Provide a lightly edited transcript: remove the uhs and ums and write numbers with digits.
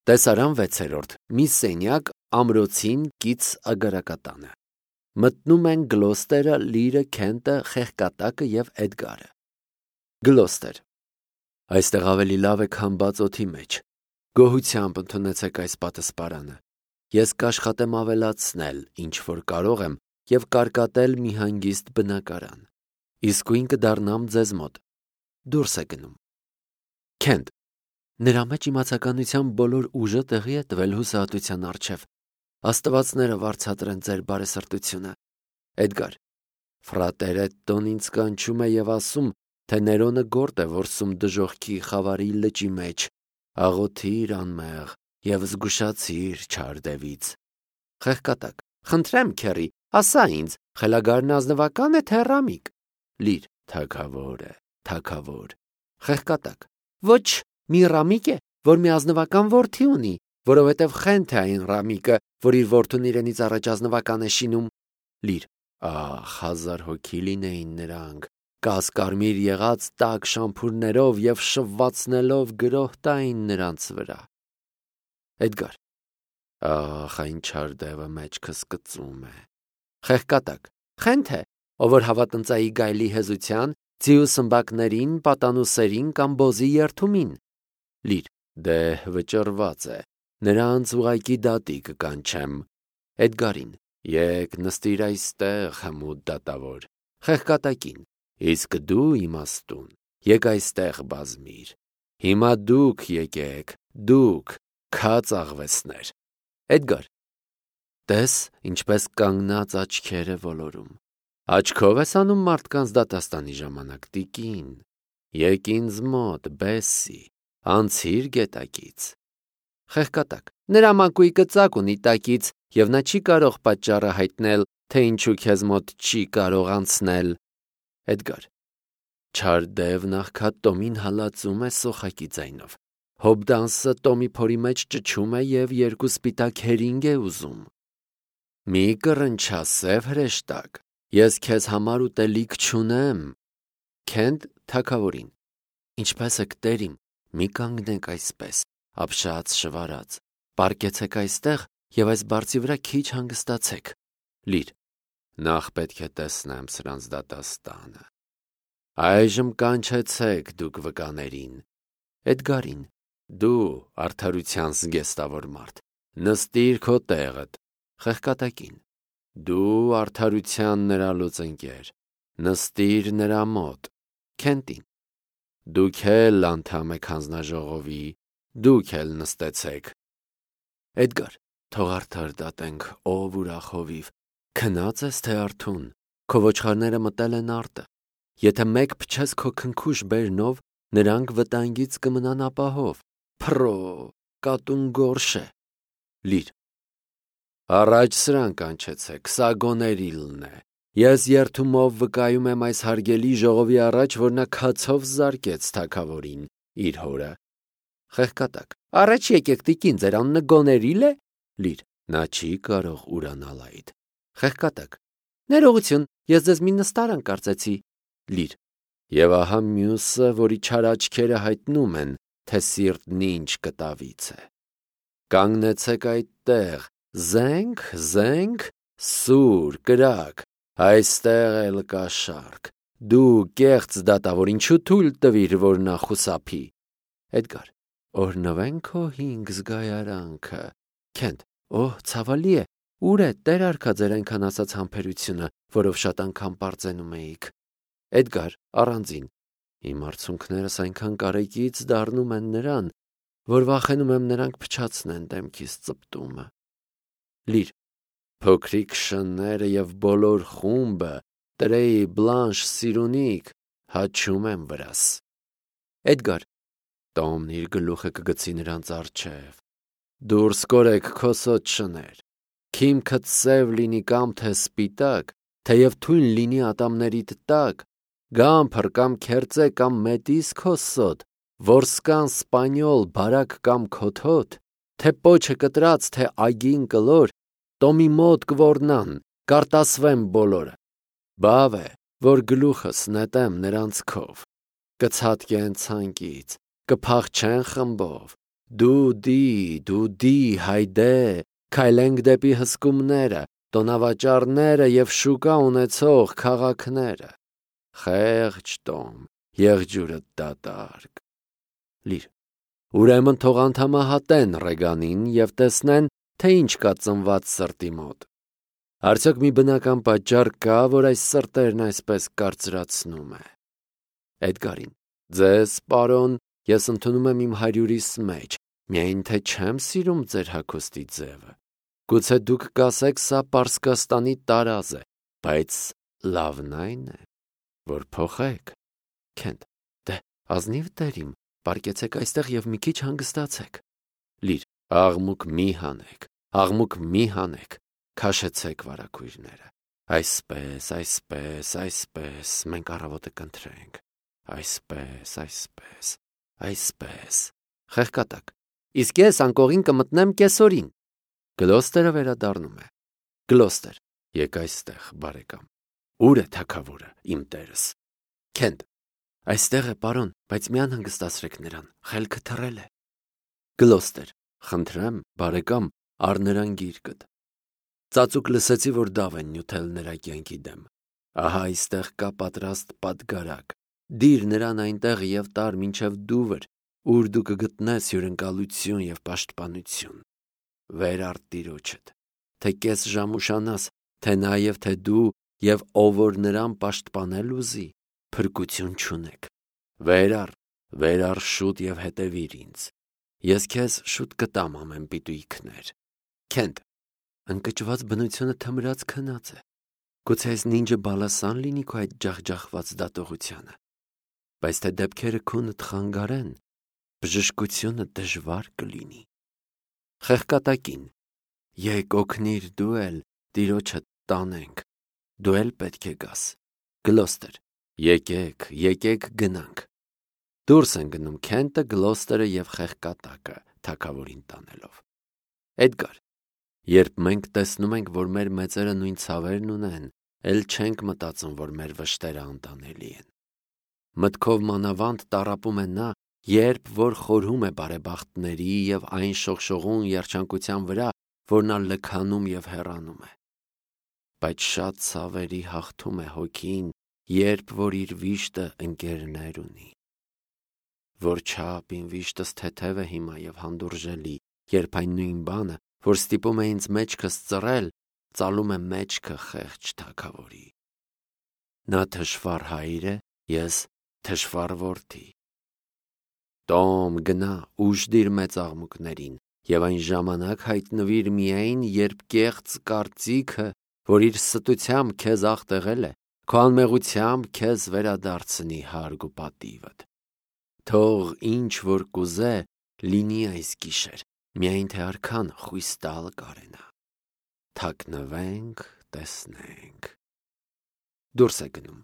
Տեսարան 6-րդ. մի սենյակ ամրոցին կից ագարակատանը։ Մտնում են Գլոստերը, Լիրը, Քենտը, Խեղկատակը եւ Էդգարը։ Գլոստեր. Այստեղ ավելի լավ է, քան բաց օդի մեջ։ Գոհությամբ ընդունեցեք այս պատասպարանը։ Ես կաշխատեմ ավելացնել, ինչ որ կարող եմ, եւ կարկատել մի հանգիստ բնակարան։ Իսկույն կդառնամ ձեզ մոտ։ Դուրս է գնում։ Քենտ. նրա մեջ իմացականության բոլոր ուժը տեղի է տվել հուսահատության առջև։ Աստվածները վարձատրեն ձեր բարեսրտությունը։ Էդգար. Ֆրատերետտոն ինձ կանչում է եւ ասում, թե Ներոնը գործ է որսում դժոխքի խավարի լճի մեջ, աղոթիր անմեղ եւ զգուշացիր չար դևից։ Խեղկատակ. խնդրեմ, քերի, ասա ինձ, խելագարն ազնվակա՞ն է, թե ռամիկ։ Լիր. թագավոր է, թագավոր։ Խեղկատակ. ոչ, մի ռամիկ է, որ մի ազնվական որդի ունի, որովհետև խենթ է այն ռամիկը, որ իր որդուն իրենից առաջ ազնվական է շինում։ Լիր. ահ, 1000 հոգի լինեին նրանք, կասկարմիր եղած տաք շամփուրներով եւ շվվացնելով գրոհ տային նրանց վրա։ Էդգար. ահ, այն չար դևը մեջքս կծում է։ Խեղկատակ. խենթ է, ով որ հավատնծայի գայլի հեզության, ձիու սմբակներին, պատանուսերին կամ բոզի երթումին։ Լիր. դե վճռված է, նրանց ուղակի դատի կկանչեմ։ Էդգարին. եկ նստիր այստեղ, հմուտ դատավոր։ Խեղկատակին. իսկ դու իմաստուն, եկ այստեղ բազմիր։ Հիմա դուք եկեք, դուք, քաց աղվեսներ։ Էդգար. տես, ինչպես կանգնած աչքեր է ոլորում։ Աչքով ես անում մարդկանց դատաստանի ժամանակ, տիկին։ Եկ ինձ մոտ, բեսի, անցիր գետակից։ Խեղկատակ. նրա մակույկը ծակ ունի տակից, եւ նա չի կարող պատճառը հայտնել, թե ինչու քեզ մոտ չի կարող անցնել։ Էդգար. չար դևն աղքատ Տոմին հալածում է սոխակի ձայնով։ Հոբդանսը Տոմի փորի մեջ ճչում է եւ երկու սպիտակ հերինգ է ուզում։ Մի կռնչա սև հրեշտակ, ես քեզ համար ուտելիք չունեմ։ Քենտ թագավորին. ինչպես եք տերիմ, մի կանգնեք այսպես, ապշած շվարած, պառկեցեք այստեղ եւ այս բարձի վրա քիչ հանգստացեք։ Լիր. նախ պետք է տեսնեմ սրանց դատաստանը։ Այժմ կանչեցեք դուք վկաներին։ Էդգարին. դու արդարության զգեստավոր մարդ, նստիր քո տեղդ։ Խեղկատակին. դու արդարության նրա լուծընկեր, նստիր նրա մոտ։ Քենտին. դուք էլ անդամ եք հանձնաժողովի, դուք էլ նստեցեք։ Էդգար. թող արդար դատենք, ով ուրախ հովիվ, քնած ես թե արթուն, քո ոչխարները մտել են արտը։ Եթե մեկ փչես քո քնքուշ բերնով, նրանք վտանգից կմնան ապահով։ Փռո, կատուն գորշ է։ Լիր. առաջ սրան կանչեցեք, սա գոներիլն է։ Ես երթումով վկայում եմ այս հարգելի ժողովի առաջ, որ նա քացով զարկեց թագավորին, իր հորը։ Խեղկատակ. առաջ եկեք, տիկին, ձեր անունը գոներիլ է։ Լիր. նա չի կարող ուրանալ այդ։ Խեղկատակ. ներողություն, ես ձեզ մի նստարան կարծեցի։ Լիր. եւ ահա մյուսը, որի չար աչքերը հայտնում են, թե սիրտն ինչ կտավից է։ Կանգնեցեք այդտեղ, զենք, զենք, սուր, կրակ, այստեղ էլ կա շարք։ Դու կեղծ դատավոր, ինչու թույլ տվիր, որ նա խուսափի։ Էդգար. օրհնվեն քո 5 զգայարանքը։ Քենտ. օհ, ցավալի է, ուր է տեր արքա ձեր այնքան ասած համբերությունը, որով շատ անգամ պարծենում էիք։ Էդգար առանձին. իմ արցունքներս այնքան կարեկից դառնում են նրան, որ վախենում եմ նրանք փչացնեն դեմքիս ծպտումը։ Լիր. փոքրիկ շները եւ բոլոր խումբը, տրեյ, բլանշ, սիրունիկ, հաչում եմ վրաս։ Էդգար. Տոմն իր գլուխը կգցի նրանց առջև։ Դուրս կորեք քոսոտ շներ։ Քիմքդ սև լինի կամ թե սպիտակ, թեև թույն լինի ատամներիդ տակ, գամփր կամ քերծե կամ մետիս քոսոտ, որսկան սպանյոլ, բարակ կամ քոթոտ, թե պոչը կտրած, թե այգին կլոր, Տոմի մոտ կորնան, կարտասվեմ բոլորը։ Բավ է, որ գլուխս նետեմ նրանց քով, կցատկեն ցանկից, կփախչեն խմբով, Դուդի, հայդե, քայլենք դեպի հսկումները, տոնավաճառները և շուկա ունեցող քաղաքները։ Խեղճ տոմ, եղջյուրը դատարկ։ Լիր, ուրեմն թող անդամահատեն Ռեգանին և տեսնեն, թե ինչ կա ծնված սրտի մոտ։ Արդյոք մի բնական պատճառ կա, որ այս սրտերն այսպես կարծրացնում է։ Էդգարին. Ձեզ, պարոն, ես ընդունում եմ իմ հարյուրիս մեջ, միայն թե չեմ սիրում ձեր հագուստի ձևը։ Գուցե դուք կասեք, սա Պարսկաստանի տարազ է, բայց լավն այն է, որ փոխեք։ Քենթ. Դե, ազնիվ տերիմ, պարկեցեք այստեղ և մի քիչ հանգստացեք։ Լիր, աղմուկ մի հանեք, քաշեցեք վարագույրները։ Այսպես, մենք առավոտը կընթրենք։ Այսպես։ Խեղկատակ. Իսկ ես անկողին կմտնեմ կեսօրին։ Գլոստերը վերադառնում է։ Գլոստեր. Եկ այստեղ, բարեկամ։ Ուր է թագավորը, իմ տերս։ Քենթ. Այստեղ է, պարոն, բայց մի անհանգստացրեք նրան, խելքը թռել է։ Գլոստեր. Խնդրեմ, բարեկամ, առ նրան գիրկդ։ Ծածուկ լսեցի, որ դավ են նյութել նրա կյանքի դեմ։ Ահա այստեղ կա պատրաստ պատգարակ։ Դիր նրան այնտեղ և տար մինչև Դուվր, ուր դու կգտնես հյուրընկալություն և պաշտպանություն։ Վեր առ տիրոջդ, թե կես ժամ ուշանաս, թե նաև թե դու և ով որ նրան պաշտպանել ուզի, փրկություն չունեք։ Վեր առ շուտ և հետևիր ինձ։ Ես քեզ շուտ կտամ ամեն պիտույքներ։ Քենթ. Ընկճված բնությունը թմրած քնած է։ Գուցե այս նինջը բալասան լինի քո այդ ջախջախված դատողությանը։ Բայց թե դեպքերը քունդ խանգարեն, բժշկությունը դժվար կլինի։ Խեղկատակին. Եկ օգնիր դու էլ, տիրոջդ տանենք, դու էլ պետք է գաս։ Գլոստեր. Եկեք գնանք։ Դուրս են գնում Քենթը, Գլոստերը և Խեղկատակը, թագավորին տանելով։ Էդգար. Երբ մենք տեսնում ենք, որ մեր մեծերը նույն ցավերն ունեն, էլ չենք մտածում, որ մեր վշտերը անտանելի են։ Մտքով մանավանդ տառապում է նա, երբ որ խորհում է բարեբախտների և այն շողշողուն երջանկության վրա, որ նա լքանում և հեռանում է։ Բայց շատ ցավերի հաղթում է հոգին, երբ որ իր վիշտը ընկերներ ունի։ Որչափ իմ վիշտս թեթև է հիմա և հանդուրժելի, երբ այն նույն բանը, որ ստիպում է ինձ մեջքս ծռել, ծալում է մեջքը խեղճ թագավորի։ Նա թշվառ հայր է, ես թշվառ որդի։ Տոմ, գնա, ուժդիր մեծ աղմուկներին, և այն ժամանակ հայտնվիր միայն, երբ կեղծ կարծիքը, որ իր ստությամբ քեզ աղտեղել է, քո անմեղությամբ քեզ վերադարձնի հարգ ու պատիվդ։ Թող ինչ որ կուզե, լինի այս գիշեր, միայն թե արքան խույս տալ կարենա։ Թաքնվենք, տեսնենք։ Դուրս է գնում։